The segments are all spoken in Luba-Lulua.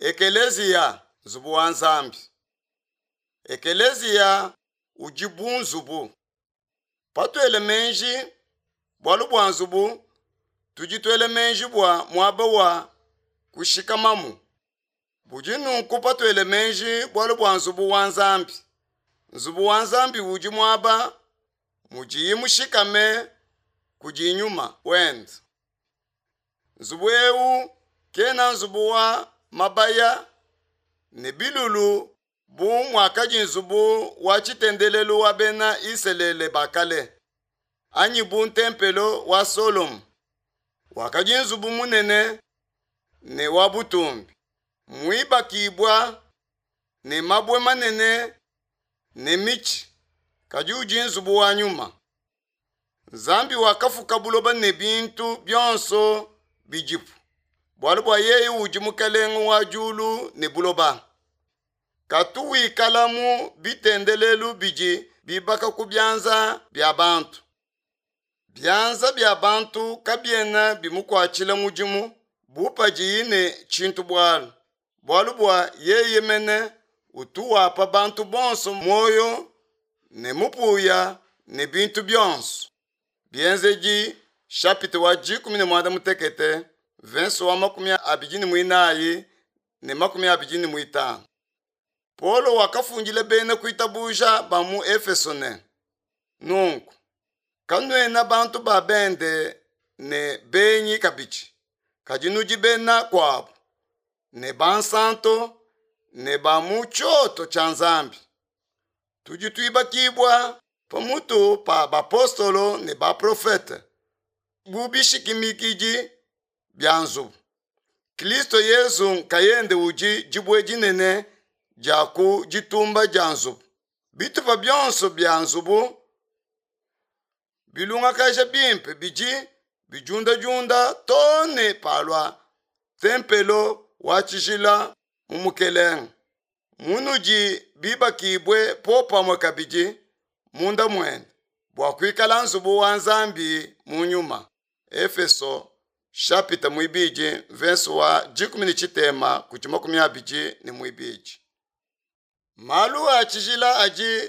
Ekeleziya, nzubu wa Nzambi. Ekeleziya udi bu nzubu. Patuela meji bualu bua nzubu, tudi tuela meji bua muaba wa kushikamamu. Budi nunku patuela meji bualu bua nzubu wa Nzambi. Nzubu wa Nzambi udi muaba mudiye mushikame kudi nyuma wende. Nzubu eu kena nzubu wa mabaya ne bilulu bu muakadi nzubu wa tshitendelelu wa bena Isalele ba kale, anyi bu ntempelo wa Solomo wakadi nzubu munene ne wa butumbi, muibakibua ne mabue manene ne mitshi, kadi udi nzubu wa nyuma. Nzambi wakafuka buloba ne bintu bionso bidipu, bualu bua yeye udi mukelenge wa diulu ne buloba. Katu wikala mu bitendelelu bidi bibaka ku bianza bia bantu. Bianza bia bantu kabiena bimukuatshila mudimu bu padiyi ne tshintu bualu, bualu bua yeye mene utu wapa bantu bonso muoyo ne mupuya ne bintu bionso. Bienzedi chapitre wa 16 verse wa 24 ne 25. Paulo wakafundila bena kuitabuja ba mu Efeso ne, nunku kanuena bantu ba bende ne benyi kabidi, kadi nudi bena kuabu ne bansanto ne ba mu tshioto tshia Nzambi. Tudi tuibakibua pamutu pa bapostolo ne baprofete bu bishimikidi bia nzubu. Kristo Yezu nkayende udi dibue dinene dia ku ditumba dia nzubu. Bitupa bionso bia nzubu bilungakaja bimpe bidi bidiundadiunda too ne palua tempelo wa tshijila mu Mukelenge, munudi bibakibue popamue kabidi munda muende bua kuikala nzubu wa Nzambi mu nyuma. Efeso chapitre 2 verse wa 13 kudi 22. Malu a tshijila adi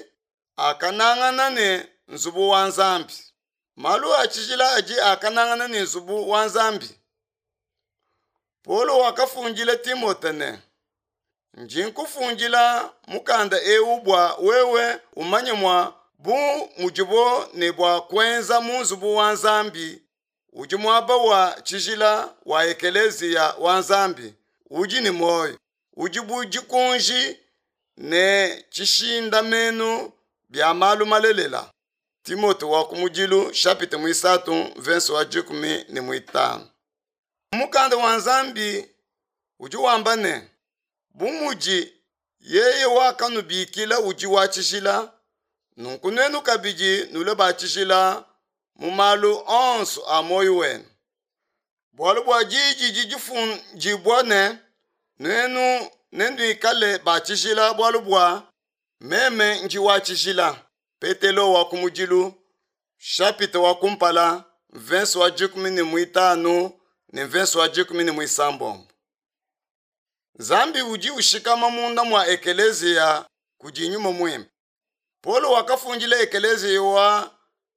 akanangana ne nzubu wa Nzambi. Malu a tshijila adi akanangana ne nzubu wa Nzambi. Paulo wakafundila Timote ne, ndi nkufundila mukanda eu bua wewe umanye mua bu mudibo ne bua kuenza mu nzubu wa Nzambi udi muaba wa tshijila wa ekeleziya wa Nzambi udi ne muoyo, udi bu dikunji ne tshishindamenu bia malu malelela. Timote wa kumudilu chapitre 3 verse wa 15. Mukanda wa Nzambi udi wamba ne, bu mudi yeye wakanubikila udi wa tshijila, nunku nuenu kabidi nulue ba tshijila mu malu onso a muoyo wenu. Bualu bua diyi didi difundibua ne, nuenu nenuikale ba tshijila bualu bua meme ndi wa tshijila. Petelo wa kumudilu chapitre wa kumpala verse wa 15 ne verse wa 16. Nzambi udi ushikama munda mua ekeleziya kudi nyuma muimpe. Paulo wakafundila ekeleziya wa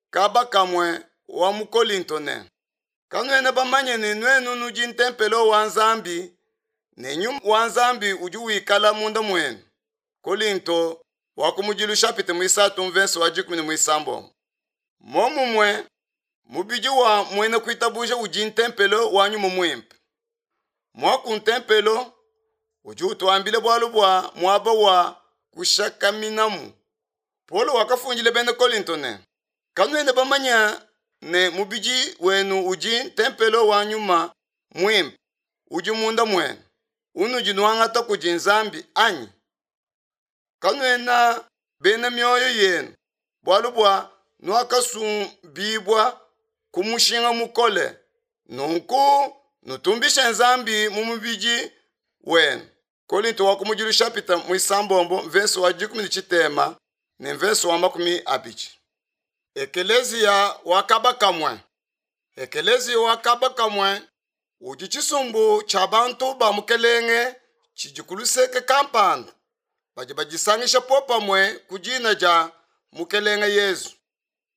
kaba kamue wa mu Kolinto ne, kanuena bamanye ne nuenu nudi ntempelo wa Nzambi ne nyuma wa Nzambi udi wikala munda muenu. Kolinto wa kumudilu chapitre 3 verse wa 16. Momumue mubidi wa muena kuitabuja udi ntempelo wa nyuma muimpe. Mwaku ntempelo udi utuambila bualu bua muaba wa kushakaminamu. Paulo wakafundila bena Kolinto ne, kanuena bamanya ne mubidi wenu udi ntempelo wa nyuma muimpe udi munda muenu, unudi nuangata kudi Nzambi anyi? Kanuena bena mioyo yenu, bualu bua nuakasumbibua ku mushinga mukole, nunku nutumbishe Nzambi mu mubidi wenu. Kolinto wa kumudilu chapitre 6 verse wa 13 ne verse wa 20. Ekeleziya wa kaba kamue. Ekeleziya wa kaba kamue udi tshisumbu tshia bantu ba mukelenge. tshidi ku luseke kampanda badi badisangisha popamue ku dina dia Mukelenge Yezu.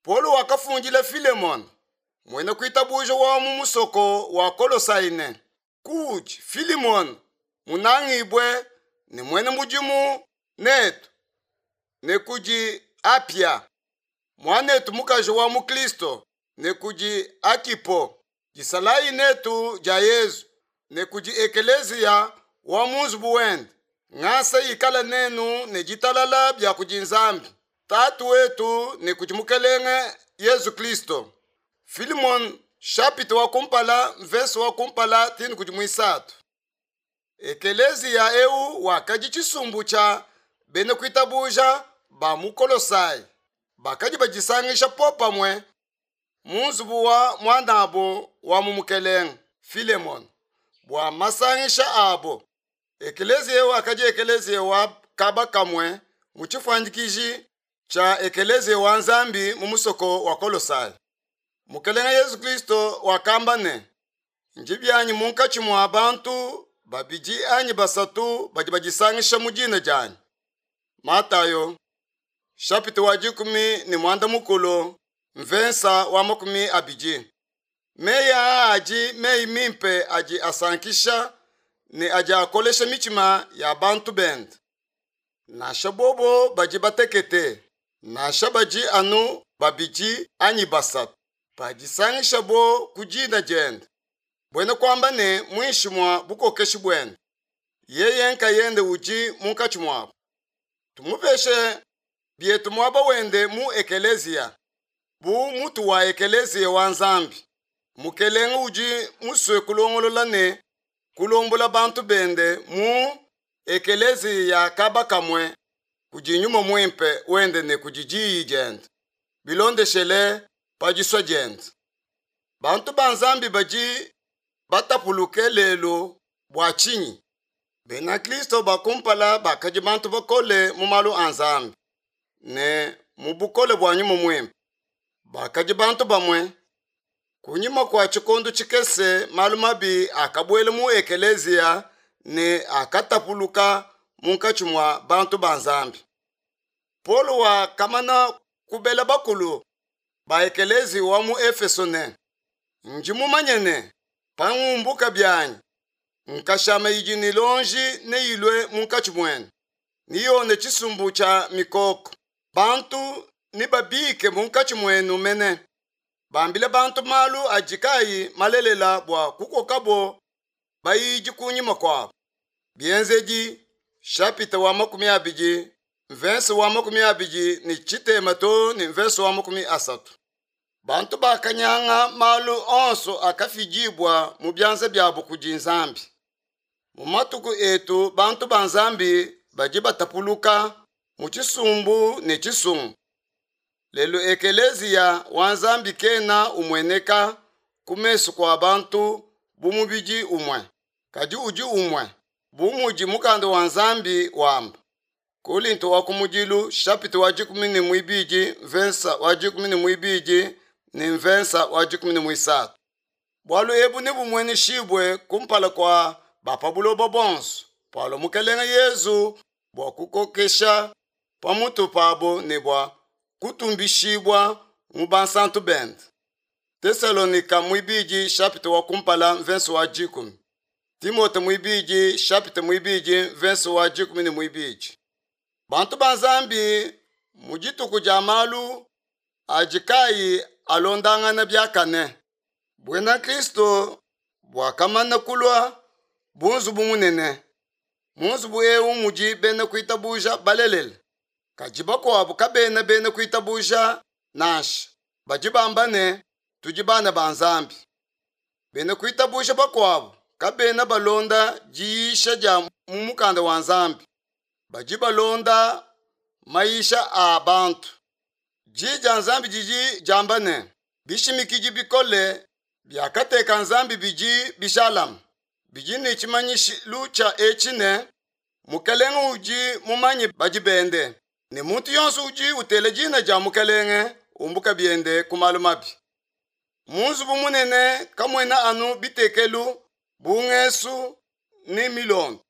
Paulo wakafundila Filemona, muena kuitabuja wa mu musoko wa Kolosai ne, Kuudi, Filimona, munangibue ne muena mudimu netu, ne kudi Apia, muanetu mukaji wa mu Kristo, ne kudi Akipo, disalayi netu dia Yezu, ne kudi ekeleziya wa mu nzubu wende. Ngasa ikala nenu ne ditalala bia kudi Nzambi Tatu wetu ne kudi Mukelenge Yezu Kristo. Filimon chapitre wa kumpala mvese wa kumpala tini kudi muisatu. Ekeleziya eu wakadi tshisumbu tshia bena kuitabuja ba mu Kolosai bakadi badisangisha popamue mu nzubu wa muanabo wa mu Mukelenge Filemon bua masangisha abo. Ekeleziya eu wakadi ekeleziya wa kaba kamue mu tshifuanyikiji tshia ekeleziya wa Nzambi mu musoko wa Kolosai. Mukelenge Yezu Kristo wakamba ne, Ndi bianyi munkatshi mua bantu babidi anyi basatu badi badisangisha mu dina dianyi. Matayo chapitre wa 16 mvensa wa 20. Meyi aa adi meyi mimpe adi asankisha ne adi akolesha mitshima ya bantu bende. Nansha bobo badi batekete, nansha badi anu babidi anyi basatu, padisangishabo ku dina diende, buena kuamba ne muinshi mua bukokeshi buende, yeye nkayende udi munkatshi muabo. Tumupeshe bietu muaba wende mu ekeleziya, bu mutu wa ekeleziya wa Nzambi. Mukelenge udi musue kulongolola ne kulombola bantu bende mu ekeleziya ya kaba kamue kudi Nyuma Muimpe wende ne kudi Diyi diende, bilondeshele pa disua diende. Bantu ba Nzambi badi batapuluke lelu bua tshinyi? Bena Kristo ba kumpala bakadi bantu bakole mu malu a Nzambi ne mu bukole bua Nyuma Muimpe. Bakadi bantu bamue. Kunyima kua tshikondo tshikese malu mabi akabuela mu ekeleziya ne akatapuluka munkatshi mua bantu ba Nzambi. Paulo wakamana kubela bakulu ba ekeleziya wa mu Efeso ne, Ndi mumanye ne, pangumbuka bianyi, nkashama idi ne luonji neyilue munkatshi muenu, niyone tshisumbu tshia mikoko. Bantu nebabike munkatshi muenu mene, bambile bantu malu adi kayi malelela bua kukokabo bayidi kunyima kuabo. Bienzedi chapitre wa 20 mvese wa 23 to ne mvese wa 30. Bantu bakanyanga malu onso akafidibua mu bianza biabo kudi Nzambi. Mu matuku etu bantu ba Nzambi badi batapuluka mu tshisumbu ne tshisumbu. Lelu ekeleziya wa Nzambi kena umueneka ku mesu kua bantu bu mubidi umue, kadi udi umue bu mudi mukanda wa Nzambi wamba. Kolinto wa kumudilu chapitre wa 12 mvensa wa 12 ne mvensa wa 13. Bualu ebu nebumueneshibue kumpala kua ba pa buloba bonso palua Mukelenge Yezu bua kukokesha pamutu pabo ne bua kutumbishibua mu bansantu bende. Tesalonika muibidi chapitre wa kumpala mvensa wa 10. Timote muibidi chapitre muibidi mvensa wa 12. Bantu ba Nzambi mu dituku dia malu adi kayi alondangana biakane. Buena Kristo buakamana kulua bu nzubu munene. Mu nzubu eu mudi bena kuitabuja balelela, kadi bakuabu kabena bena kuitabuja nansha. Badi bamba ne, tudi bana ba Nzambi. Bena kuitabuja bakuabu kabena balonda diyisha dia mu mukanda wa Nzambi, badi balonda mayisha a bantu. Diyi dia Nzambi didi diamba ne, bishimikidi bikole biakateka Nzambi bidi bijalame, bidi ne tshimanyishilu tshia etshi ne, Mukelenge udi mumanye badi bende, ne muntu yonso udi utela dina dia Mukelenge umbuka biende ku malu mabi. Mu nzubu munene kamuena anu bitekelu bu ngesu ne milondo.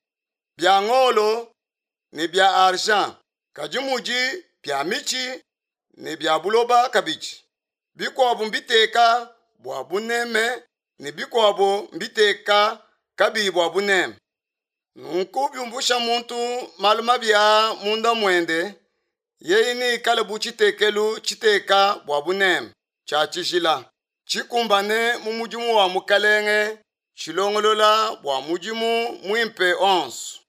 bia ngolo ne bia argent, kadi mudi bia mitshi ne bia buloba kabidi. Bikuabu mbiteka bua buneme ne bikuabu mbiteka kabiyi bua buneme. Nunku biumbusha muntu malu mabi aa munda muende, yeye neikale bu tshitekelu tshiteka bua buneme tshia tshijila, tshikumbane mu mudimu wa Mukalenge, tshilongolola bua mudimu muimpe onso.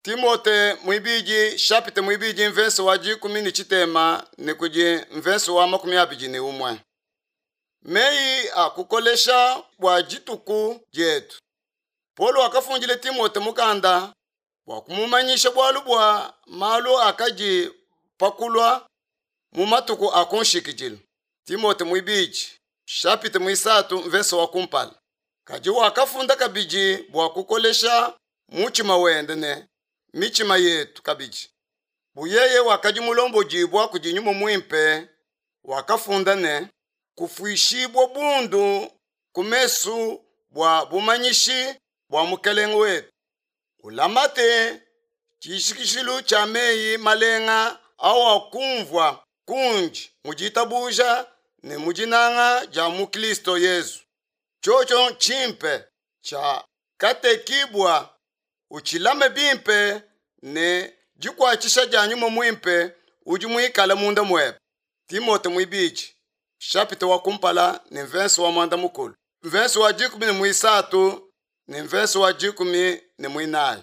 Timote muibidi shapite muibidi mvese wa dikumi ne tshitema ne kudi mvese wa 21. Meyi a kukolesha bua dituku dietu. Paulo wakafundila Timote mukanda bua kumumanyisha bualu bua malu akadi pa kulua mu matuku a ku nshikidilu. Timote muibidi shapite muisatu mvese wa kumpala. Kadi wakafunda kabidi bua kukolesha mutshima wende ne mitshima yetu kabidi. Bu yeye wakadi mulombodibua kudi Nyuma Muimpe, wakafunda ne, kufuishibua bundu ku mesu bua bumanyishi bua Mukelenge wetu. Ulamate tshishikishilu tshia meyi malenga awakumvua kundi mu ditabuja ne mu dinanga dia mu Kristo Yezu. Tshiotshio tshimpe tshia katekibua utshilame bimpe ne dikuatshisha dia Nyuma Muimpe udi muikale munda muebe. Timote muibidi shapita wa kumpala ne mvese wa muanda mukulu mvese wa 13 ne mvese wa 14.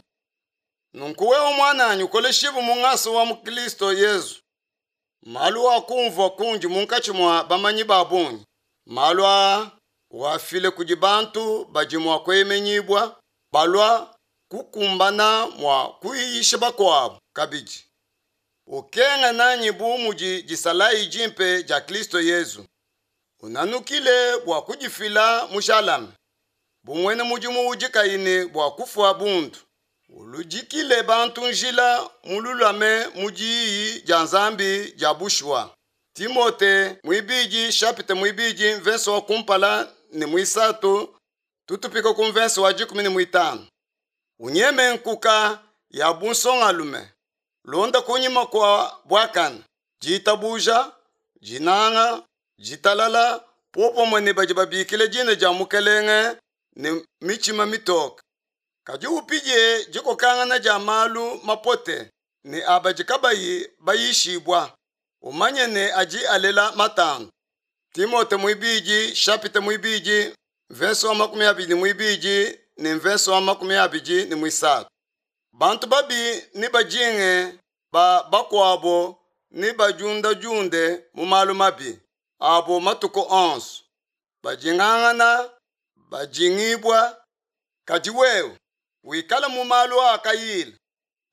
Nunku wewe muananyi ukoleshibue mu ngasa wa mu Kristo Yezu. Malu akumvua kundi munkatshi mua bamanyi ba bungi, malu aa wafile kudi bantu badi mua kueyemenyibua, balua kukumbana mua kuyisha bakuabu kabidi. Ukenga nanyi bu mudi disalayi dimpe dia Kristo Yezu. Unanukile bua kudifila mujalame, bu muena mudimu udi kayi ne bua kufua bundu. Uludikile bantu njila mululame mu diyi dia Nzambi dia bushuwa. Timote muibidi shapite muibidi mvese wa kumpala ne muisatu tutupika ku mvese wa 15. Unyeme nkuka ya bunsongalume, londa kunyima kua buakane, ditabuja, dinanga, ditalala, popamue ne badi babikila dina dia Mukelenge ne mitshima mitoke. Kadi upidie dikokangana dia malu mapote ne abadi kabayi bayishibua, umanye ne adi alela matandu. Timote muibidi shapite muibidi mvese wa 22 ne mvese wa 23. Bantu babi ne bajinge ba bakuabo ne badiundadiunde mu malu mabi abo matuku onso, bajingangana bajingibua. Kadi wewe wikale mu malu akayila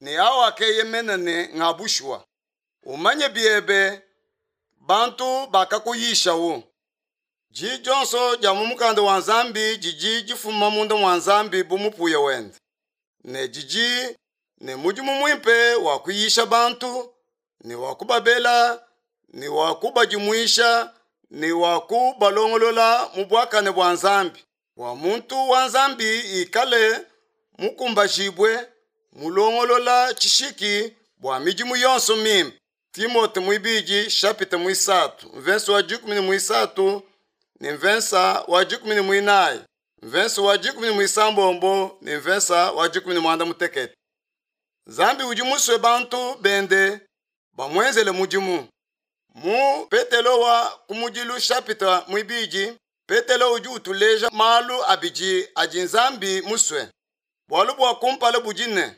ne awakeyemena ne nga bushuwa. Umanye biebe bantu bakakuyishawu. Diyi dionso dia mu mukanda wa Nzambi didi difuma munda mua Nzambi bu mupuya wende, ne didi ne mudimu muimpe wa kuyisha bantu ne wa kubabela ne wa kubadimuisha ne wa kubalongolola mu buakane bua Nzambi, bua muntu wa Nzambi ikale mukumbajibue, mulongolola tshishiki bua midimu yonso mimpe. Timote muibidi shapite muisatu mvese wa 13 ne mvese wa 14 mvese wa 16 ne mvese wa 18. Nzambi udi musue bantu bende bamuenzele mudimu. Mu Petelo wa kumudilu shapita muibidi, Petelo udi utuleja malu abidi adi Nzambi musue. Bualu bua kumpala budi ne,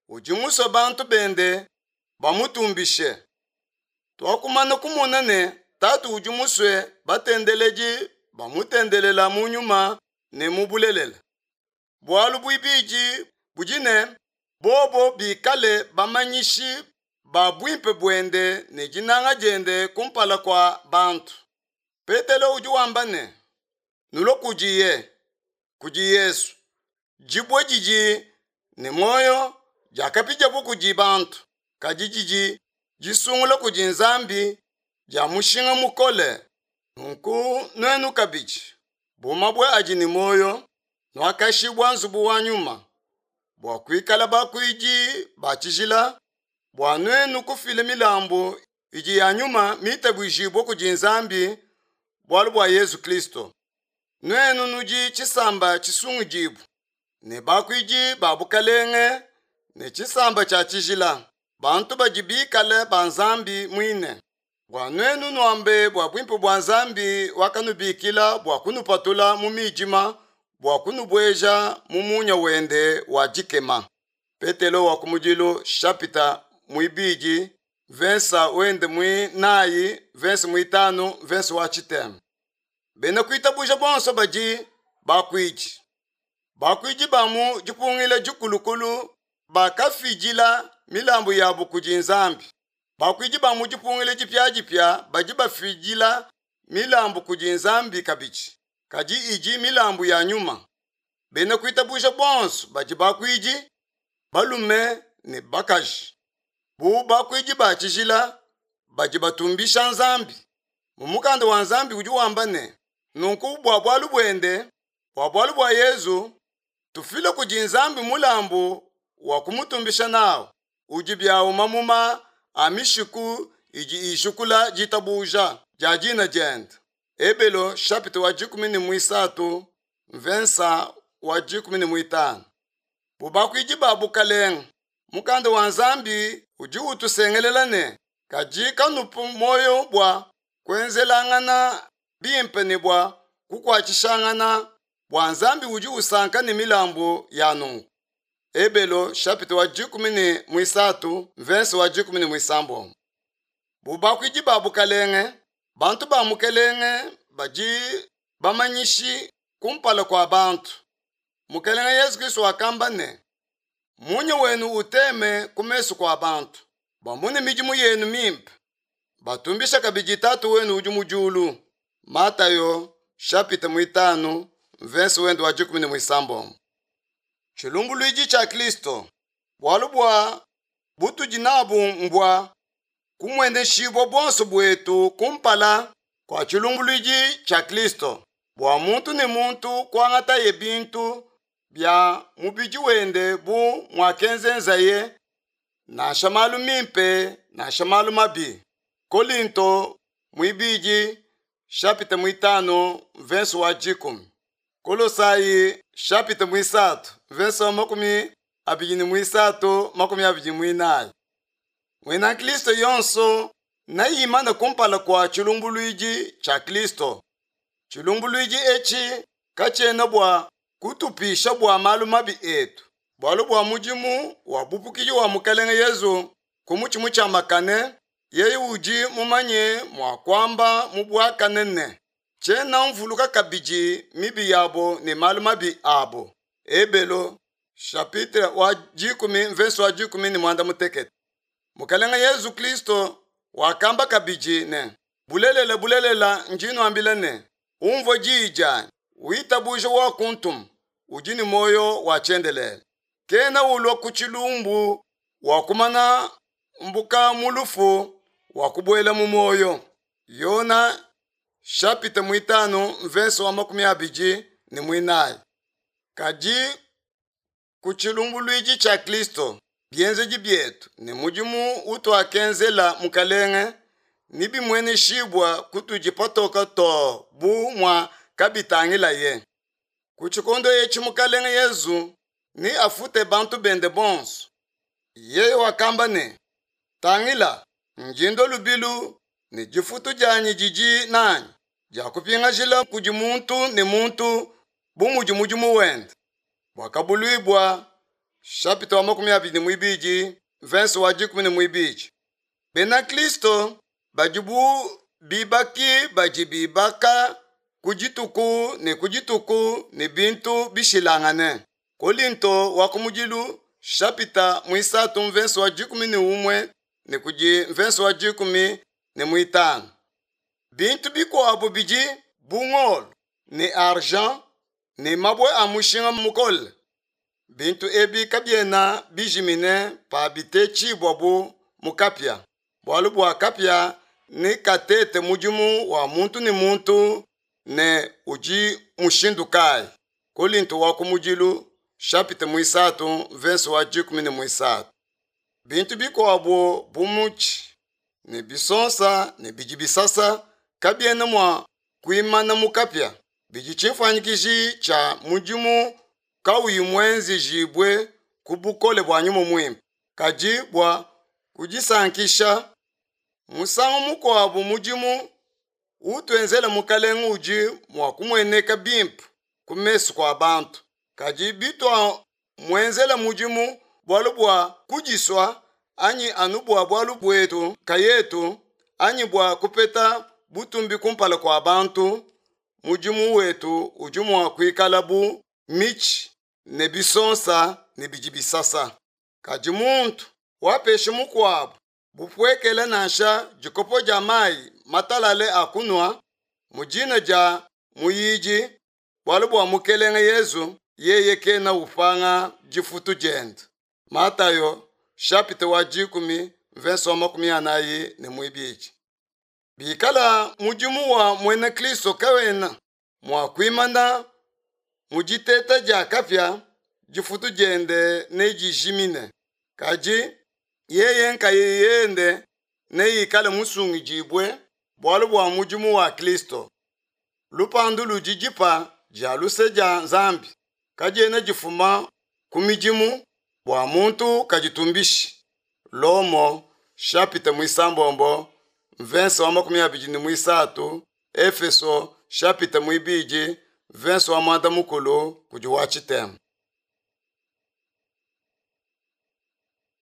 udi musue bantu bende bamutumbishe. Tuakumana kumona ne Tatu udi musue batendeledi bamutendelela mu nyuma ne mu bulelela. Bualu buibidi budi ne, bobo bikale bamanyishi ba buimpe buende ne dinanga diende kumpala kua bantu. Petelo udi wamba ne, nulue kudiye, kudi Yesu, dibue didi ne muoyo diakapidiabu kudi bantu, kadi didi disungula kudi Nzambi dia mushinga mukole. Nunku nuenu kabidi, bu mabue adi ne muoyo, nuakashibua nzubu wa nyuma, bua kuikala bakuidi ba tshijila, bua nuenu kufila milambu idi ya nyuma mitabuijibue kudi Nzambi bualu bua Yezu Kristo. Nuenu nudi tshisamba tshisungudibue ne bakuidi ba bukalenge ne tshisamba tshia tshijila, bantu badi bikale ba Nzambi muine, bua nuenu nuambe bua buimpe bua Nzambi wakanubikila bua kunupatula mu midima bua kunubueja mu munya wende wa dikema. Petelo wa kumudilu shapita muibidi vensa wende muinayi vensa muitanu vensa wa tshitema. Bena kuitabuja bonso badi bakuidi. Bakuidi ba mu dipungila dikulukulu bakafidila milambu yabu kudi Nzambi. Bakuidi ba mu dipungila dipiadipia badi bafidila milambu kudi Nzambi kabidi, kadi idi milambu ya nyuma. Bena kuitabuja bonso badi bakuidi, balume ne bakaji. Bu bakuidi ba tshijila badi batumbisha Nzambi. Mu mukanda wa Nzambi udi wamba ne, nunku bua bualu buende, bua bualu bua Yezu, tufile kudi Nzambi mulambu wa kumutumbisha nawu, udi biawu mamuma a mishiku idi ijukula ditabuja dia dina diende. Ebelo chapitre wa 13 mvensa wa 15. Bu bakuidi ba bukalenge, mukanda wa Nzambi udi utusengelela ne, kadi kanupu muoyo bua kuenzelangana bimpe ne bua kukuatshishangana, bua Nzambi udi usanka ne milambu ya nunku. Ebelo chapitre wa 13 mvensa wa 16. Bu bakuidi ba bukalenge, bantu ba mukelenge badi bamanyishi kumpala kua bantu. Mukelenge Yesu Kristo wakamba ne, munya wenu uteme ku mesu kua bantu, bamone midimu yenu mimpe, batumbisha kabidi Tatu wenu udi mu diulu. Matayo chapitre 5 verse wende wa 16. Tshilumbuluidi tshia Kristo, bualu bua butudi nabu mbua kumueneshibua buonso buetu kumpala kua tshilumbuluidi tshia Kristo, bua muntu ne muntu kuangataye bintu bia mubidi wende bu muakenzenzaye, nansha malu mimpe nansha malu mabi. Kolinto muibidi chapitre 5 verse wa 10. Kolosai chapitre 3 verse wa 23 24. Mwena Kristo yonso nayimana kumpala kua tshilumbuluidi tshia Kristo. Tshilumbuluidi etshi katshiena bua kutupisha bua malu mabi etu, bualu bua mudimu wa bupukidi wa Mukelenge Yezu ku mutshi mutshiamakane, yeye udi mumanye mua kuamba mu buakane ne, tshiena mvuluka kabidi mibi yabo ne malu mabi abo. Ebelo chapitre wa 10 verse wa 16. Mukelenge Yezu Kristo wakamba kabidi ne, bulelela bulelela ndi nuambila ne, umvua diyi dianyi, witabuje wa kuntuma, udi ne muoyo wa tshiendelele. Kena ulua ku tshilumbu wa kumana mbuka mu lufu wa kubuela mu muoyo. Yona chapitre 5 verse wa 24. Kadi ku tshilumbuluidi tshia Kristo, bienzedi bietu ne mudimu utuakenzela mukalenge nibimueneshibua kutudi patoka to bu mua kabitangilaye. Ku tshikondo etshi mukalenge Yezu ni afute bantu bende bonso. Yeye wakamba ne, tangila, njindo lubilu ne difutu dianyi didi nanyi dia kupingajila kudi muntu ne muntu bu mudi mudimu wende. Bwakabuluibua chapitre wa 22 verse wa 12. Bena Kristo badi bu bibaki badi bibaka ku dituku ne ku dituku ne bintu bishilangane. Kolinto wa kumudilu chapitre 3 verse wa 11 ne kudi verse wa 15. Bintu bikuabu bidi bu ngolo ne argent ne mabue a mushinga mukole. Bintu ebi kabiena bijimine pa bitetshibua bu mu kapia, bualu bua kapia ne katete mudimu wa muntu ne muntu ne udi mushindu kayi. Kolinto wa kumudilu. shapita muisatu mvese wa 13. Bintu bikuabo bu mutshi ne bisonsa ne bidi bisasa kabiena mua kuimana mu kapia, bidi tshifuanyikiji tshia mudimu kawuyi muenzejibue ku bukole bua Nyuma Muimpe, kadi bua kudisankisha. Musangu mukuabu mudimu utuenzela Mukalenge udi mua kumueneka bimpe ku mesu kua bantu, kadi bituamuenzela mudimu bualu bua kudisua anyi anu bua bualu buetu nkayetu anyi bua kupeta butumbi kumpala kua bantu, mudimu wetu udi mua kuikala bu mitshi ne bisonsa ne bidi bisasa. Kadi muntu wapesha mukuabu bupuekele nansha dikopo dia mayi matalale a kunua mu dina dia muyidi, bualu bua Mukelenge Yezu, yeye kena upanga difutu diende. Matayo chapitre wa 10 verse wa 42. Bikala mudimu wa muena Kristo kawena mua kuimana mu diteta dia kapia, difutu diende nedijimine, kadi yeye nkayende neikale musungidibue bualu bua mudimu wa Kristo. Lupandu ludi dipa dia luse dia Nzambi, kadiena difuma ku midimu bua muntu kaditumbishi. Lomo chapitre muisambombo mvense wa 23, Efeso chapitre muibidi mvense wa 10 kudi wa tshitema.